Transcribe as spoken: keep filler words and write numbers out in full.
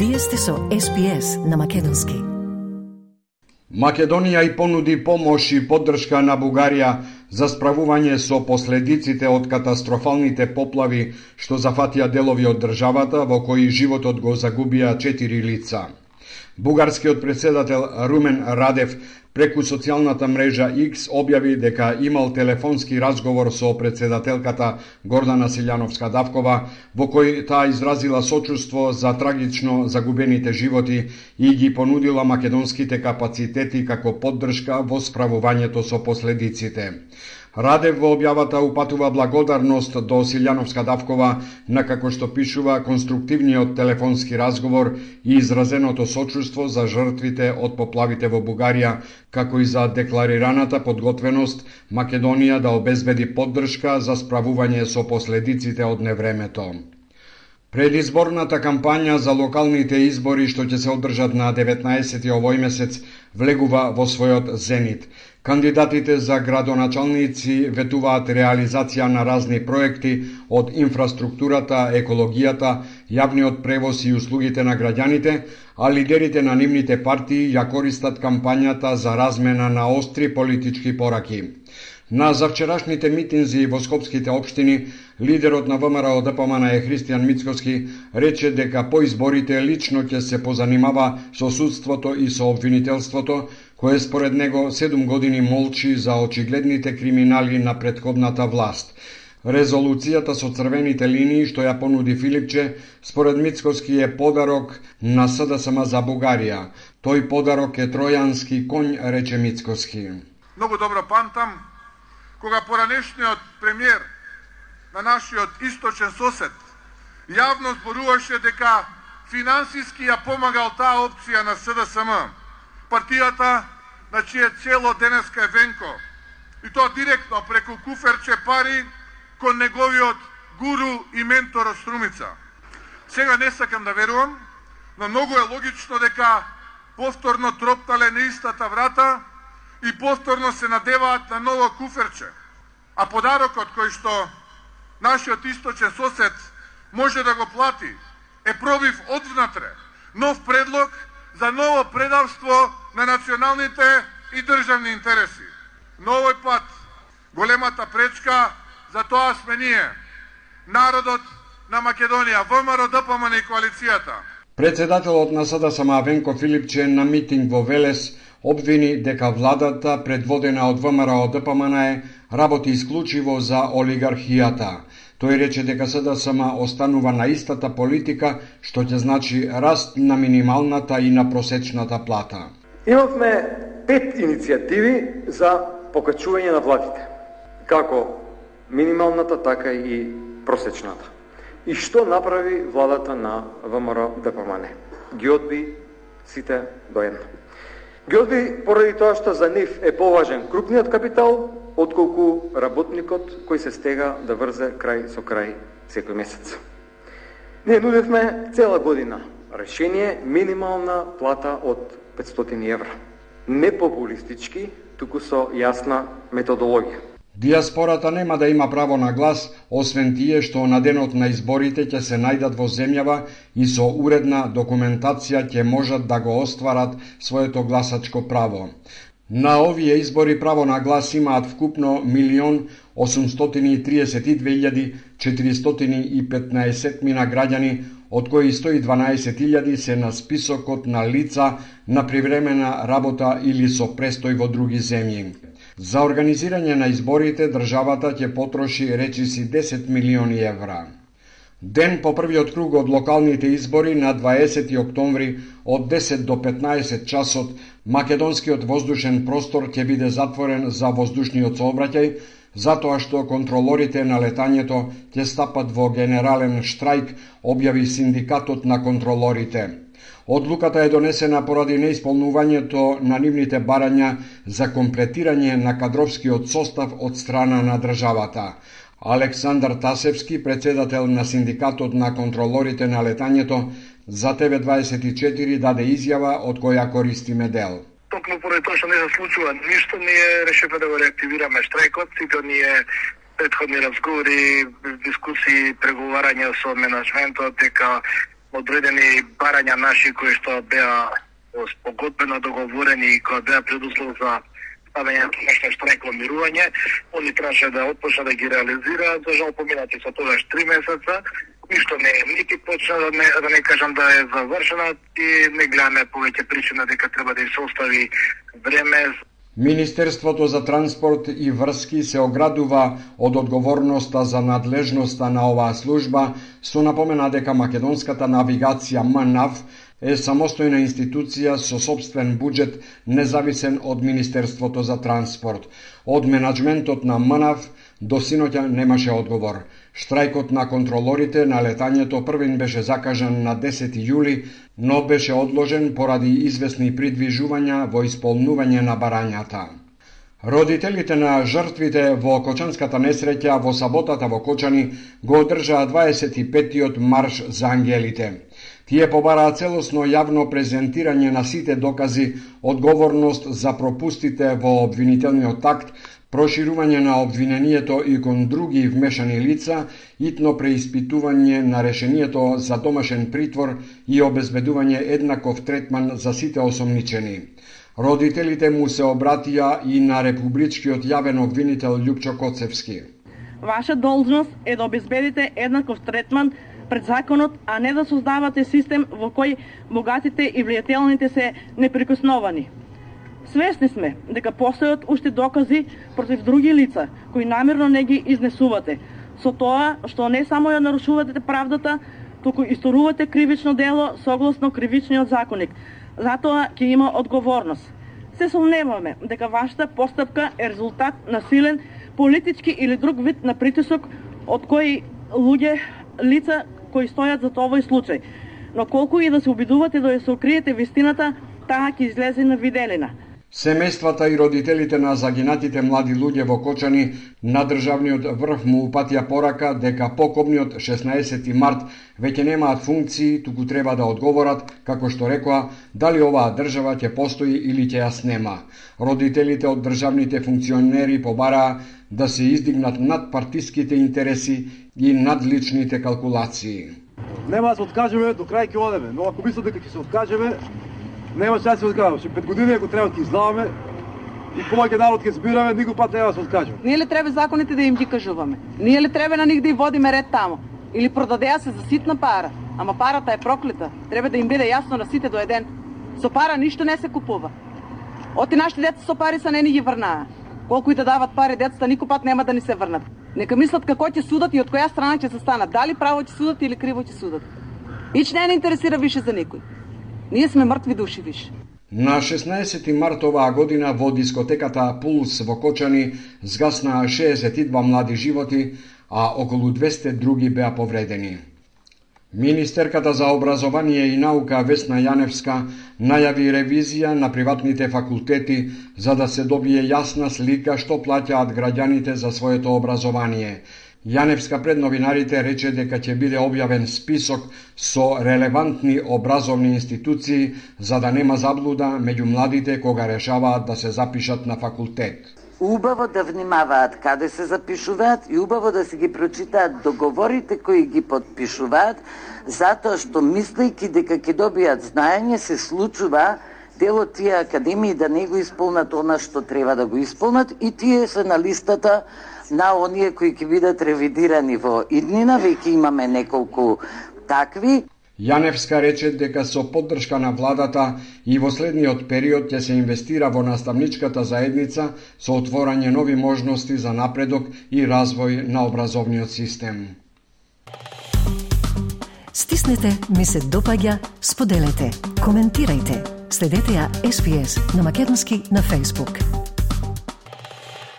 Вие сте со Ес Би Ес на македонски. Македонија и понуди помош и поддршка на Бугарија за справување со последиците од катастрофалните поплави што зафатија делови од државата во кои животот го загубија четири лица. Бугарскиот председател Румен Радев преку социјалната мрежа Икс објави дека имал телефонски разговор со председателката Гордана Силјановска-Давкова, во кој таа изразила сочувство за трагично загубените животи и ги понудила македонските капацитети како поддршка во справувањето со последиците. Радев во објавата упатува благодарност до Силјановска-Давкова на, како што пишува, конструктивниот телефонски разговор и изразеното сочувство за жртвите од поплавите во Бугарија, како и за декларираната подготвеност Македонија да обезбеди поддршка за справување со последиците од невремето. Предизборната кампања за локалните избори што ќе се одржат на деветнаесети овој месец влегува во својот зенит. Кандидатите за градоначалници ветуваат реализација на разни проекти од инфраструктурата, екологијата, јавниот превоз и услугите на граѓаните, а лидерите на нивните партии ја користат кампањата за размена на остри политички пораки. На завчерашните митинзи во скопските општини, лидерот на ВМРО Д П М Н е Христијан Мицкоски рече дека по изборите лично ќе се позанимава со судството и со обвинителството, кое според него седум години молчи за очигледните криминали на претходната власт. Резолуцијата со црвените линии што ја понуди Филипче, според Мицкоски е подарок на С Д С М за Бугарија. Тој подарок е тројански коњ, рече Мицкоски. Многу добро памтам кога поранешниот премиер на нашиот источен сосед јавно зборуваше дека финансиски ја помагал таа опција на С Д С М, партијата на чие цело денеска е Венко, и тоа директно преку куферче пари кон неговиот гуру и ментор од Струмица. Сега не сакам да верувам, но многу е логично дека повторно тропнале на истата врата и повторно се надеваат на ново куферче. А подарокот кој што нашиот источен сосед може да го плати е пробив одвнатре, нов предлог за ново предавство на националните и државни интереси. Но овој пат големата пречка за тоа сме ние, народот на Македонија, ВМРО Д П М Н и коалицијата. Председателот на С Д С М Венко Филипче на митинг во Велес обвини дека владата, предводена од ВМРО Д П М Н, работи исклучиво за олигархијата. Тој рече дека С Д С М останува на истата политика, што ќе значи раст на минималната и на просечната плата. Имавме пет иницијативи за покачување на платите, како минималната, така и просечната. И што направи владата на ВМРО Д П М Н? Ги одби сите до едно. Ги одби поради тоа што за нив е поважен крупниот капитал, отколку работникот кој се стега да врзе крај со крај секој месец. Ние нудевме цела година решение минимална плата од петстотини евра. Не популистички, туку со јасна методологија. Диаспората нема да има право на глас, освен тие што на денот на изборите ќе се најдат во земјава и со уредна документација ќе можат да го остварат своето гласачко право. На овие избори право на глас имаат вкупно милион осумстотини и триесет и две илјади четиристотини и петнаесет мина граѓани, од кои сто и дванаесет илјади се на списокот на лица на привремена работа или со престој во други земји. За организирање на изборите државата ќе потроши речиси десет милиони евра. Ден по првиот круг од локалните избори на дваесети октомври од десет до петнаесет часот македонскиот воздушен простор ќе биде затворен за воздушниот сообраќај, затоа што контролорите на летањето ќе стапат во генерален штрајк, објави синдикатот на контролорите. Одлуката е донесена поради неисполнувањето на нивните барања за комплетирање на кадровскиот состав од страна на државата. Александар Тасевски, председател на синдикатот на контролорите на летањето, за Т В дваесет и четири даде изјава од која користиме дел. Токму поради тоа што не се случува ништо, ние решивме да го реактивираме штрајкот, сите ние претходни разговори, дискусии, преговарања со менаџментот дека одредени барања наши кои што беа спогодбено договорени и кои беа предуслов за ставање на нешто штрајково мирување, они требаше да отпочнат да ги реализираат, за жал поминати со тогаш три месеца, ништо не е нити почна, да не, да не кажам да е завршена и не гледаме повеќе причина дека треба да се остави време. Министерството за транспорт и врски се оградува од одговорноста за надлежноста на оваа служба, со напомена дека македонската навигација МНАВ е самостојна институција со собствен буџет, независен од Министерството за транспорт. Од менаџментот на МНАВ до синоќа немаше одговор. Штрајкот на контролорите на летањето првин беше закажан на десети јули, но беше одложен поради известни придвижувања во исполнување на барањата. Родителите на жртвите во Кочанската несреќа во саботата во Кочани го одржаа дваесет и петтиот марш за ангелите. Тие побараа целосно јавно презентирање на сите докази, одговорност за пропустите во обвинителниот акт, проширување на обвинението и кон други вмешани лица, итно преиспитување на решението за домашен притвор и обезбедување еднаков третман за сите осомничени. Родителите му се обратија и на републичкиот јавен обвинител Љупчо Коцевски. Ваша должност е да обезбедите еднаков третман пред законот, а не да создавате систем во кој богатите и влијателните се неприкосновани. Свесни сме дека постојат уште докази против други лица кои намерно не ги изнесувате, со тоа што не само ја нарушувате правдата, туку исторувате кривично дело согласно кривичниот законник. Затоа ќе има одговорност. Се сомневаме дека вашата постапка е резултат на силен политички или друг вид на притисок од кои луѓе, лица кои стојат за овој случај. Но колку и да се обидувате да ја се укриете вистината, таа ќе излезе на виделина. Семејствата и родителите на загинатите млади луѓе во Кочани на државниот врв му упатија порака дека покобниот шеснаесети март веќе немаат функции, туку треба да одговорат, како што рекоа, дали оваа држава ќе постои или ќе ја снема. Родителите од државните функционери побараа да се издигнат над партиските интереси и над личните калкулации. Нема да се откажеме, до крај ќе одеме, но ако мислат дека ќе се откажеме, нема шанс да се откажеме. Ше пет години ако треба ќе излаваме и повеќе народ ќе збираме, никој пат нема да се откажеме. Ние ли треба законите да им ги кажуваме? Ние ли треба на нив да и водиме ред тамо? Или продадеа се за ситна пара? Ама парата е проклета. Треба да им биде јасно на сите до еден. Со пара ништо не се купува. Оти нашите деца со пари са не ни ги врнаа. Колку и да дават пари децата, никој пат нема да ни се врнат. Нека мислат како ќе судат и од која страна ќе се станат. Дали право ќе судат или криво ќе судат. Ич не не интересира више за никој. Ние сме мртви души више. На шеснаесети март оваа година во дискотеката Пулс во Кочани згаснаа шеесет и два млади животи, а околу двесте други беа повредени. Министерката за образование и наука Весна Јаневска најави ревизија на приватните факултети за да се добие јасна слика што плаќаат граѓаните за своето образование. Јаневска пред новинарите рече дека ќе биде објавен список со релевантни образовни институции за да нема заблуда меѓу младите кога решаваат да се запишат на факултет. Убаво да внимаваат каде се запишуваат и убаво да се ги прочитаат договорите кои ги подпишуваат, затоа што мислејќи дека ќе добијат знаење се случува дел од тие академии да не го исполнат она што треба да го исполнат и тие се на листата на оние кои ќе бидат ревидирани во иднина, веќе имаме неколку такви. Јаневска рече дека со поддршка на владата и во следниот период ќе се инвестира во наставничката заедница со отворање нови можности за напредок и развој на образовниот систем. Стиснете, ми се допаѓа, споделете, коментирајте. Следете ја Ес Би Ес на македонски на Facebook.